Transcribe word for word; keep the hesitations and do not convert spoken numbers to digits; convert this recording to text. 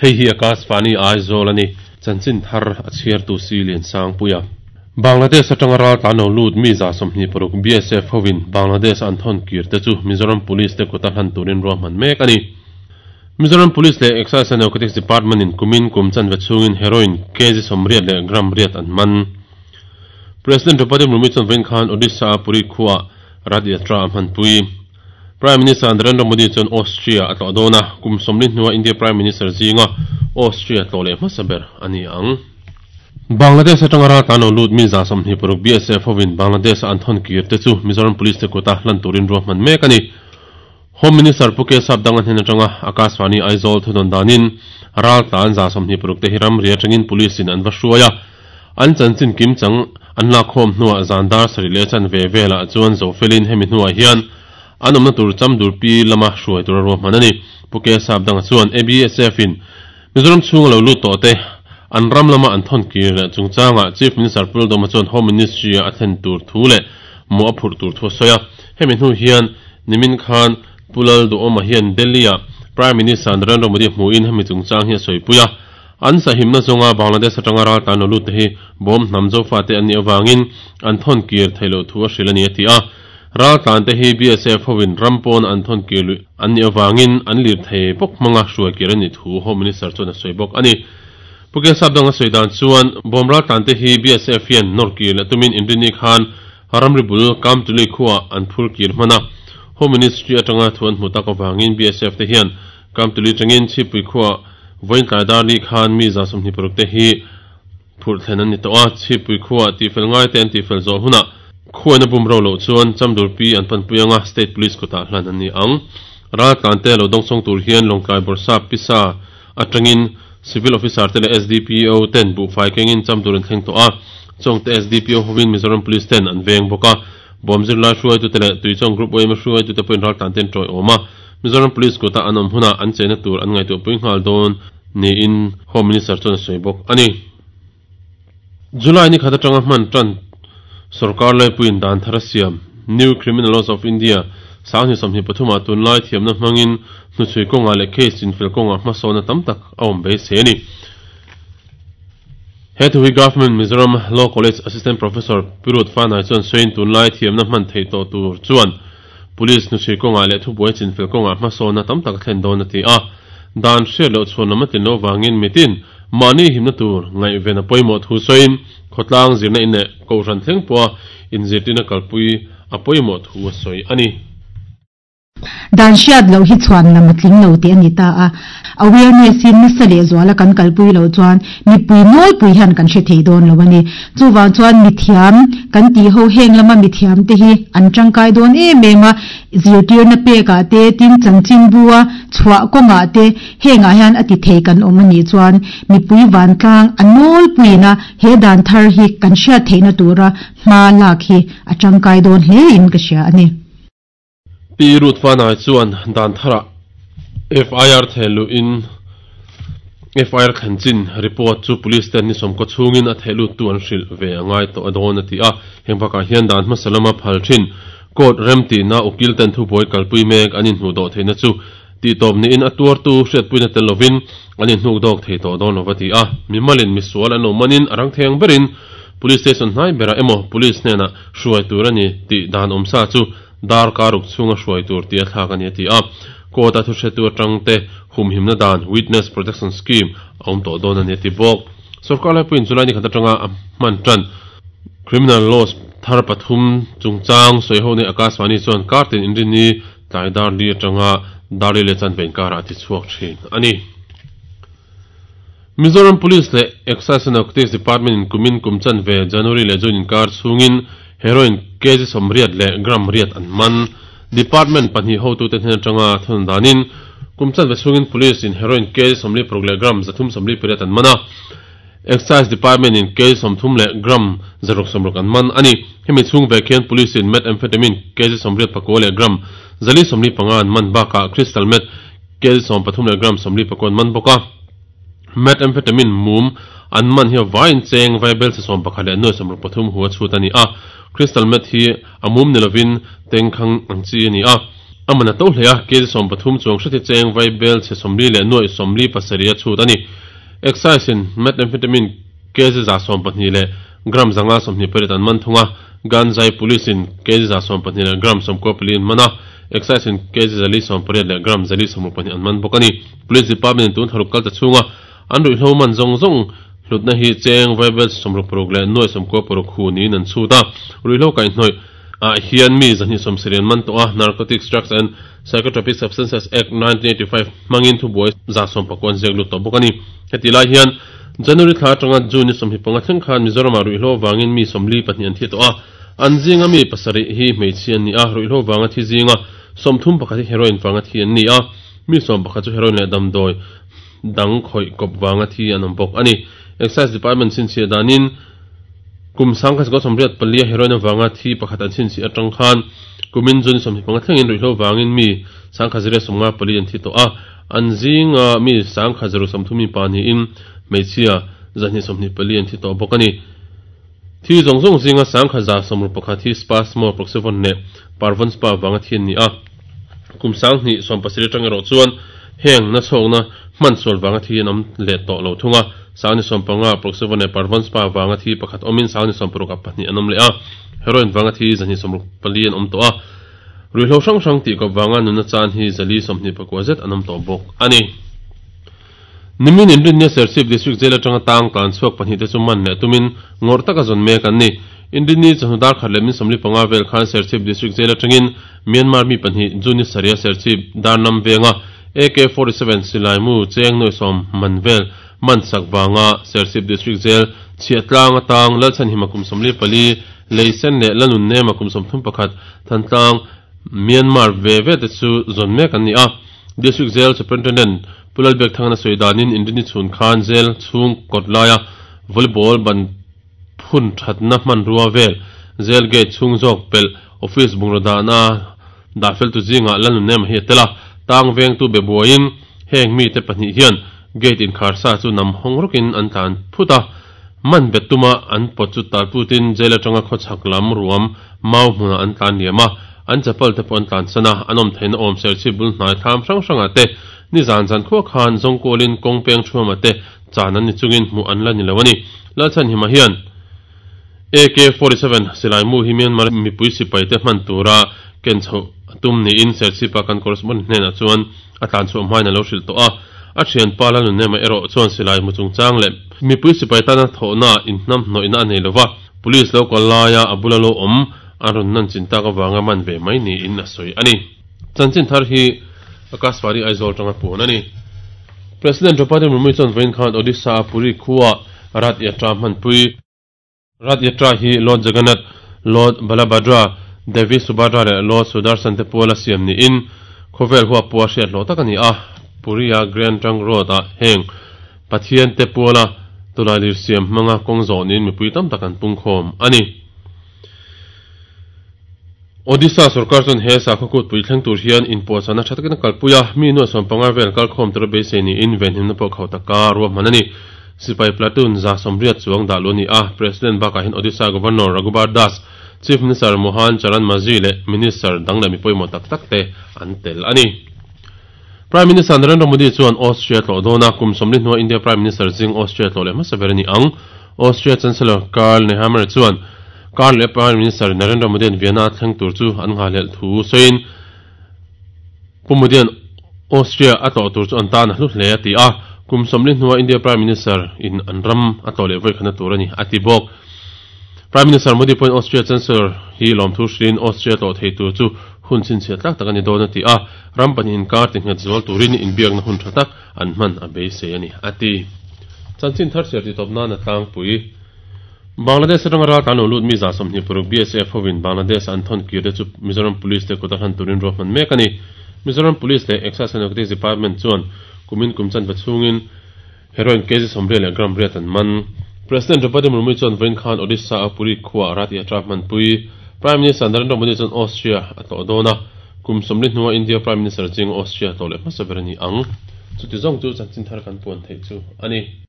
Hei hi Akashvani Aizawl ani chanchin thar a chhiar tu si lian sang puia. Bangladesh atanga ral tlan lo lut mi za sawmhnih paruk B S F hovin Bangladesh an thon kir te chu Mizoram Police te kut a hlan turin ruahman mek ani. Mizoram Police leh Excise and Narcotics Department in kumin kum chanve chungin heroin kg sawmriat leh gram riat an man. President Draupadi Murmu chuan vawiin khan Odisha a Puri khuaa Rath Yatra a hmanpui. Prime Minister Narendra Modi chuan Austria a tlawh dawn a, kum sawmli hnua India Prime Minister zinga Austria tlawh leh hmasa ber a ni ang. Bangladesh atanga ral tlan lo lut mi za sawmhnih paruk B S F hovin Bangladesh a an thawn kir te chu Mizoram Police te kut a hlan turin ruahman mek a ni. Home Minister Pu Kesap dang a hnen atanga Akashvani Aizawl thudawn danin ral tlan za sawmhnih paruk te hi ramri atangin police in an va hruai a, an chanchin kim chang an lakkhawm hnuah zan dar sarih leh chan ve velah chuan Zofelin hemi hnuah hian an awmna tur chamdur pi lama hruai tur a ruahman a ni. Pu Kesap dang chuan A B S F in Mizoram chhunga lo lut tawh te an ram lama an thawn kir leh chungchangah Chief Minister Pu Lalduhoma chuan Home Ministry a thlen tur thu leh mawh a phurh tur thu a sawi a. Hemi hnu hian nimin khan Pu Lalduhoma hian Delhi ah Prime Minister Narendra Modi hmuhin hemi chungchang hi a sawipui a. An sahimna zawnga Bangladesh atanga ral tlan lo lut te hi bawm hnam zofa te an nih avangin an thawn kir theih loh thu a hrilh a ni a ti a. Ral tlan te hi B S F hovin ram pawn an thawn kir luih an nih avangin an lir thei bawk hmanga hruai kir a nih thu Home Minister chuan a sawi bawk a ni. Pu Kesap dang a sawi dan chuan bawm ral tlan te hi B S F hian nawr kir leh tumin inrini khan ramri bul Kamtuli khuaa an phur kir hman a. Home Ministry atanga thu an hmu tak avangin B S F te hian Kamtuli tangin Chhipui khuaa vawiin tlai dar li khan mi za sawmhnih paruk te hi phurh thlen an ni tawh a. Chhipui khuaa tihfel ngai te an tihfel zawh hunah khuaina bum ro loh chuan Chamdur pi an panpui anga State Police kutah hlan an ni ang. Ral tlan te lo dawngsawng tur hian Lawngtlai Bawrhsap Pisa atangin Civil Officer te leh S D P O ten buhfai kengin Chamdur an thleng tawh a. Chawngte S D P O hovin Mizoram Police ten an veng bawk a. Bawmzir lai hruaitute leh Tuichawng Group Y M A hruaitute pawhin ral tlan ten tawi awm a. Mizoram Police kutah an awm hunah an chena tur an ngaihtuahpui nghal dawn niin Home Minister chuan a sawi bawk a ni. July ni khat atanga hman tan sarkar laipuiin dan thar a siam New Criminal Laws of India sanghnih sawmhnih pathumah tunlai thiamna hmangin hnuchhui kawngah leh case chinfel kawngah hmasawna tam tak a awm beisei a ni. He thu hi Government Mizoram Law College Assistant Professor Pirut Fanai chuan sawiin tunlai thiamna hman theih tawh tur chuan Police hnuchhui kawngah leh thubuai chinfel kawngah hmasawna tam tak a thlen dawn a ti a. Dan hriat loh chhuan lam a tlin loh vangin mitin mahni himna tur ngaihven a pawimawh thu sawiin khawtlang zirna in leh kohhran thleng pawha inzirtirna kalpui a pawimawh thu a sawi a ni. Dan hriat loh hi chhuan lam a tling lo tih a ni ta a. Awareness in nasa leh zuala kan kalpui loh chuan mipui nawlpui hian kan hre thei dawn lo a ni. Chuvang chuan mithiam kan tih ho heng lama mithiam te hi an tangkai dawn em em a, zirtirna pekah te tin chanchin bua chhuah kawngah te hengah hian a ti thei kan awm a nih chuan mipui vantlang a nawlpuiin a he dan thar hi kan hriat theihna tura hma lak hi a tangkai dawn hle in ka hria a ni. Pi Ruth Fanai chuan dan tharah F I R thehluhin F I R thlen chin report chu police ten ni sawmkaw chungin a thehlut tu an hrilh ve a ngai tawh a dawn a ti a. Heng bakah hian dan hmasa lama phal thin court rem tihna ukil ten thubuai kalpui mek an inhmuh dawh theihna chu tihtawp niin a tuartu hriatpuina tel lovin an inhnuk dawk thei tawh dawn lova ti a. Mimalin misual an lo manin a rang theng berin police station hnai berah emaw police hnenah hruai tur a ni tih dan awmsa chu dar karuk chunga hruai tur ti a thlak a ni a ti a. Court a thu hretu atang te humhimna dan Witness Protection Scheme a awm tawh dawn a ni a ti bawk. Sarkar laipuiin July ni khat atanga a hman tan Criminal Laws thar pathum chungchang sawi ho nei Akashvani chuan kartin inrini tlai dar li atanga dar li leh chan vein karah a ti chhuak thin a ni. Mizoram Police leh Excise and Narcotics Department in kumin kum chan ve January leh June inkar chungin heroin kg sawmriat leh gram riat an man. Department pahnih hotute hnen atanga thun danin kum chan ve chungin police in heroin kg sawmli paruk leh gram zathum sawmli pariat an man a. Excise Department in kg sawmthum leh gram zaruk sawmruk an man a ni. Hemi chhung ve khian police in methamphetamine kg sawmriat pakua leh gram zali sawmli panga an man bakah crystal meth kg sawm pathum leh gram sawmli pakua an man bawk a. Methamphetamine mum an man hi vain cheng vaibel se sawm pakhat leh nuai sawmruk pathum hu a chhut a ni a. Crystal meth hi a mum ni lovin tengkhang ang chi a ni a. Amana to hlea kg som pathum chuang hreti cheng vai bel che somli le noi somli pasaria chut ani. Excise in methamphetamine kg za som pahnih le gram zanga somhnih pariat an man thunga. Ganjai police in kg za som pahnih le gram som ko pali an mana. Excise in kg zali som pariat le gram zali som pahnih an man bawk ani. Police department tun tharuk kal ta chunga an rui hlo man zong zong hlutna hi cheng vai bel somruk paruk le noi som ko paruk hu ni nan chuta. Rui hlo kai hnoi a hian mi zani som serian man to a Narcotics Drugs and Psychotropic Substances Act nineteen eighty-five mangin thu boy za som pakwan zek lu to bawk ani. Heti lai hian January thla atanga June ni sawmhnih panga thleng khan Mizoram ah ruihhlo wangin mi sawmli pahnih an thi tawh a. An zinga mi pasarih hi hmeichhe an ni a, ruihhlo wanga thi zinga sawmthum pakhat hi heroin wanga thi an ni a, mi sawm pakhat chu heroin leh damdawi dang khawih kawp wanga thi an awm bawk ani. Excise Department chhinchhiah danin kum sangkha sikhaw sawmriat palia heroin wanga thi pakhat an chhinchhiah atang khan kumin June sawmhnih panga thlengin ruihhlo wangin mi sangkha zira sawmnga pali an thi tawh a. An zinga mi sangkha zero sawmthum mi pahnihin hmeichhia zahnih sawmhnih pali an thi tawh bawk ani. Thi zawng zawng zinga sangkha za sawmruk pakhat hi Spasmo Proxyvon leh Parvon Spa wanga thi an ni a. Kum sanghnih sawm pasarih atang erawh chuan heng na chhawkna hman sual wanga thi an awm leh tawh lo thunga. Sangni sawm panga Proxyvon leh Parvon Spa wanga thi pakhat awmin sangni sawm paruk ah pahnih an awm leh a. Heroin wanga thi zahnih sawmruk pali an awm tawh a. Ruihhlo hrang hrang tih kawp wanga nunna chan hi zali sawmhnih pakua zet an awm tawh bawk ani. Nimin Inrinnia Serchhip District Jail atanga tang tlan chhuak pahnih te chu man leh tumin ngawr taka zawn mek an ni. Inrinni chawhnu dar khat leh min sawmli panga vel khan Serchhip District Jail atangin Myanmar mi pahnih June saria Serchhip Darnam venga A K forty-seven silai mu cheng noi sawm man vel man sak wanga Serchhip District Jail chhiatlang atang Lalchhan hima kum sawmli pali leisen leh Lanun nema kum sawmthum pakhat Thantlang Myanmar ve ve te chu zawn mek an ni a. District Jail Superintendent Pulal Bek Thangna Soidanin Inrini chhun khan jail chhung kawt laia volleyball ban phun thatna hman rua vel jail gate chhung zawk pel office bungraw dahna dah fel tu zinga Lanun nema hi a tel a. Tang veng tu be buaiin heng mi te pahnih hian gate in kharsa chu nam hawng rawkin an tlan phut a. Man bet tuma an pawt chu talputin jail atanga khawchhak lam ruam mau hmunah an tlan liam a. An chapal te pawh an tlan sana an awm theihna awm Serchhip bul hnai thlam hrang hrangah te ni zan zan khuah khan zawngkawlin kawng peng thuama te chan an ni chungin hmuh an la ni lo ani. Lalchhan hima hian A K forty-seven silai mu hi Myanmar mipui sipai te hman tura ken chhoh tum niin Serchhip a kan correspondent hnenah chuan a tlan chhuah hmain a lo hrilh tawh a. A thian pa Lanun nema erawh chuan silai mu chungchang leh mipui sipai tana thawhna inhnam hnawihna a nei lova. Police lo kal laia a bula lo awm an rawn nan chin tak awanga man ve mai niin a sawi ani. Chanchin thar hi Akashvani Aizawl tanga puan ani. President Draupadi Murmu chuan vawiin khan Odisha a Puri khuwa Rath Yatra hmanpui. Rath Yatra hi Lord Jagannath, Lord Balabhadra, Devi Subhadra leh Lord Sudarshan te puala siam niin khawvel hua pua hriat hlawh tak ani a. Puri a Grand Trunk Road ah heng Pathian te puala tulailir siam hmanga kawng zawh niin mipui tam tak an pung khawm ani. Odisha sarkar chuan he sakhaw kutpui thleng tur hian inpuahchana tha takin a kalpui a. Mi nuai sawm panga vel kal khawm tura beisei niin venhimna pawh khauh taka ruahman ani. Sipai platoon za sawmriat chuang dah lu ani a. President bakah hian Odisha Governor Raghubar Das, Chief Minister Mohan Charan Majhi leh Minister dang leh mi pawimawh tak tak te an tel ani. Prime Minister Narendra Modi chuan Austria tlawh dawna kum sawmli hnuah India Prime Minister zing Austria tlawh leh hmasa ber ani ang. Austria Chancellor Karl Nehammer chuan Karl leh Prime Minister Narendra Modi an Vienna thleng tur chu an nghahlelh thu sawiin Pu Modi an Austria a tlawh tur chu an tan a hlu hle a ti a. Kum sawmli hnuah India Prime Minister in an ram a tlawh leh vawi khana tur ani a ti bawk. Prime Minister Modi pawhin Austria Chancellor hi lawm thu hrilhin Austria tlawh thei tur chu hun chhinchhiah tlak tak ani dawn a ti a. Ram pahnih inkar ti nghet zual turin inbiakna hun tha tak an hman a beisei ani a ti. Chanchin thar chhiar ti tawp nan a tlangpui. Bangladesh atanga ral tlan lo lut mi za sawmhnih paruk B S F hovin Bangladesh an thawn kir te chu Mizoram Police te kut a hlan turin ruahman mek ani. Mizoram Police leh Excise and Narcotics Department chuan kumin kum chan va chungin heroin kg sawmriat leh gram riat an man. President Draupadi Murmu chuan vawiin khan Odisha a Puri khuwa Rath Yatra hmanpui. Prime Minister Narendra Modi chuan Austria a tlawh dawn a. Kum sawmli hnuah India Prime Minister zing Austria tlawh leh hmasa ber ani ang. Chuti zawng chu chanchin thar kan puan theih chu ani.